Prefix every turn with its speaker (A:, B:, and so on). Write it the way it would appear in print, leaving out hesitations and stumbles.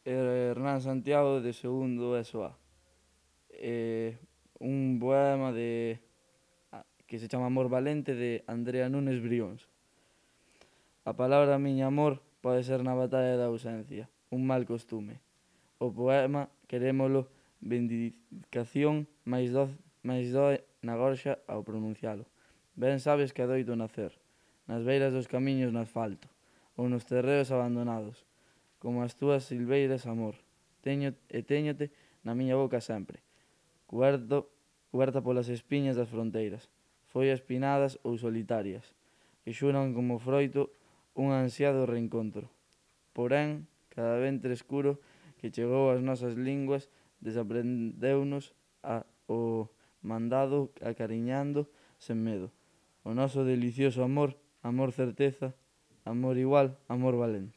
A: Hernán Santiago de segundo ESO A. Un poema que se chama Amor Valente de Andrea Nunes Brións. A palabra miña amor pode ser na batalla da ausencia, un mal costume. O poema querémolo vindicación máis doe na gorxa ao pronuncialo. Ben sabes que adoito nacer nas beiras dos camiños no asfalto ou nos terreos abandonados, como as túas silveiras, amor. Téñote na miña boca sempre, cuberta polas espiñas das fronteiras, follas pinadas ou solitarias, que xuran como froito un ansiado reencontro. Porén, cada ventre escuro que chegou ás nosas linguas desaprendeunos o mandado acariñando sen medo. O noso delicioso amor, amor certeza, amor igual, amor valente.